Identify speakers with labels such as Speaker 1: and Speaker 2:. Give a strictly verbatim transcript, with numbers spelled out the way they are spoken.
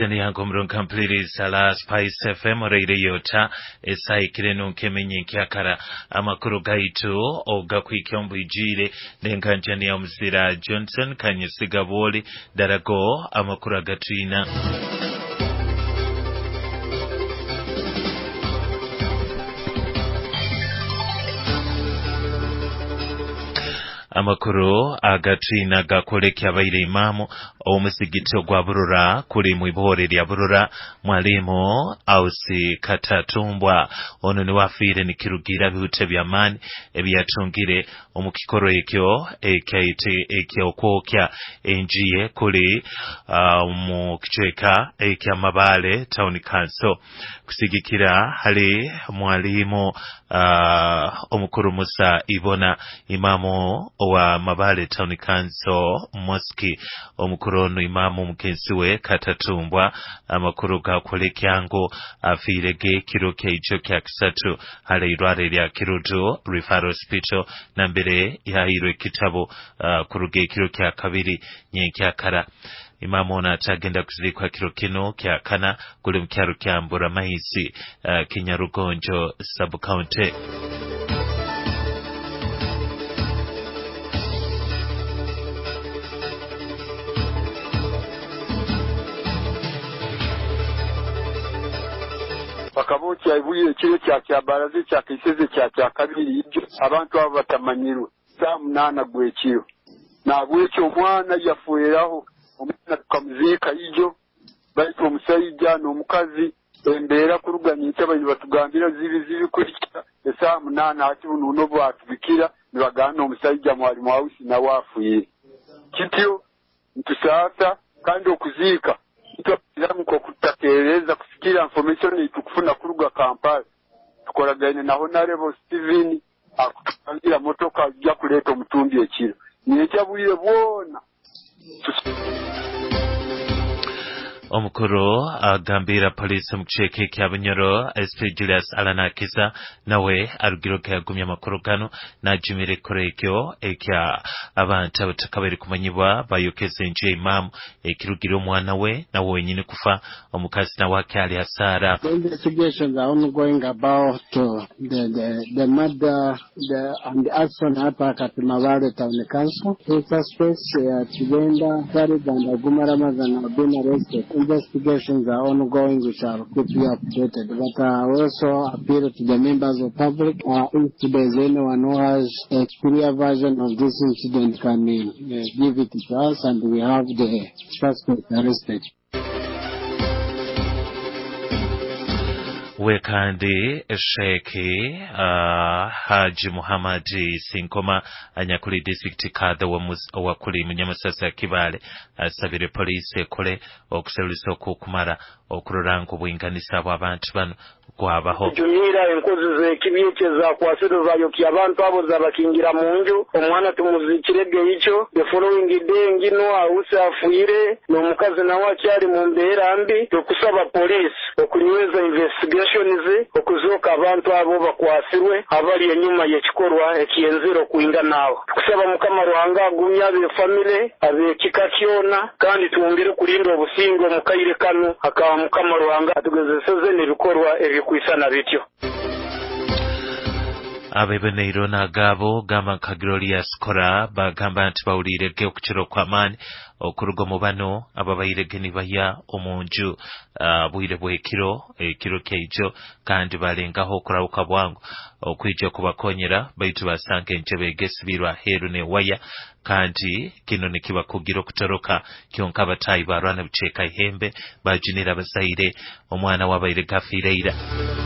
Speaker 1: Yango murunkampuliriza la Spice F M oreireyo esaikire nunkemenye nkyakara amakuru gaitu ogakwikya ombwijire nenkanjani ya Muzira Johnson Kanyesiga Bwoli darago amakuru agatwina. Amakuru agatwina gakolekya abaire imamu omusigiti ogwa Burura kuli mwibore lya Burura mwalimu Ausi Katatumbwa ono ni wafire nikirugira bihute bya mani ebyatungire omukikoro ekyo ekyaite ekyokwokya enjiye kuli uh, mu kichweka ekya Mabale Town Council kusigikira hali mwalimu uh, omukuru Musa Ibona imamu wa Mabale Town Council Mosque omukuru ono imamu mugenzi we Katatumbwa amakuru gakolekyango afirege kiro keicho kya kisatu hale irware lya Kirudu Referral Hospital nambere yahirwe kitabo uh, kuruge kiro kya kabiri nyenkyakara. Imamu ono atagenda kuzirikwa kiro kino kya kana kuli mkyaro kya Mburamaizi uh, Kinyarugonjo sub county.
Speaker 2: Bakabokya ibuye ekiro kya kyabaraze kya kiseze kya kya kabiri ibyo abantu abo batamanyirwe saa munana gwekiro nabwekyo omwana yafueraho omwana tukamuzika ijo baitu omusajja n'omukazi embeera kuruganyitsa bali batugambira zibi zibi kulikira esaa munana ati buno bwatubikira nibagana omusajja mwalimu Ausi nawe afuye kityo ntusaasa kandi okuziika kutatereza kusikira information itukufuna kuruga Kampala tukoragaine na Honorable Steven akutangira motoka ajja kuleta omutumbi ekiro nekyabwire bwona.
Speaker 1: Omukuru agambira polisi mu kicheke kya Bunyoro S P Julius Alanakiza nawe arugiroke yagumya amakuru gano najumire korekyo ekya abantu abatakabere kumanyibwa bayokeze nje imamu ekirugiro omwana we nawe wenyine kufa omukazi nawe akyali hasara.
Speaker 3: The investigations are ongoing about uh, the, the, the murder the, and the arson attack at Mabale Town Council. Two suspects, uh, Chigenda Farid and Aguma Ramazan, have been arrested. Investigations are ongoing, which are keep you updated. But I uh, also appeal to the members of public, uh, if there's anyone who has a clear version of this incident, can uh, give it to us, and we have the suspect arrested.
Speaker 1: Wekandi Sheikh uh, Haji Muhammad Sinkoma anyakuli district kadha wa kuli munyamasasa ya Kibale asabire uh, police ekole okuserulisa okukumara okurora ngu bwinganisa bw'abantu bano kwabaho.
Speaker 4: Jumira enkozi z'ekibi zakwasire zayokya abantu abo zabakingira mu nju omwana tumuzikirege icho the following day ngino Ausi afuire n'omukazi nawe akyali mu mbeera mbi. Tukusaba police okunyweza investigations okuzoka abantu abo bakwasirwe abali enyuma y'ekikorwa ekiyenzero kuinga nabo. Tukusaba Mukama Ruhanga agumya abe family abekika kyona kandi tuwongere kulinda obusingo omukaire kano akaba Mukama Ruhanga atugezeseze n'ebikorwa ebikwisana bityo.
Speaker 1: Abebeneiro nagabo gamba nka Glorious Kora bagamba nti bawulirege okukiro kw'amaani okuruga mu bano ababairege nibaya omunju uh, bwire bw'ekiro ekiro kyaijo kandi balengaho okurabuka bwangu okwija kubakonyera baitu basanga enjebe egesibirwa aheeru newaya kandi kino nikibakugira okutoroka kyonka abatayi barwana buceeka ihembe bajunira abazaire omwana wabaire gafiire ira.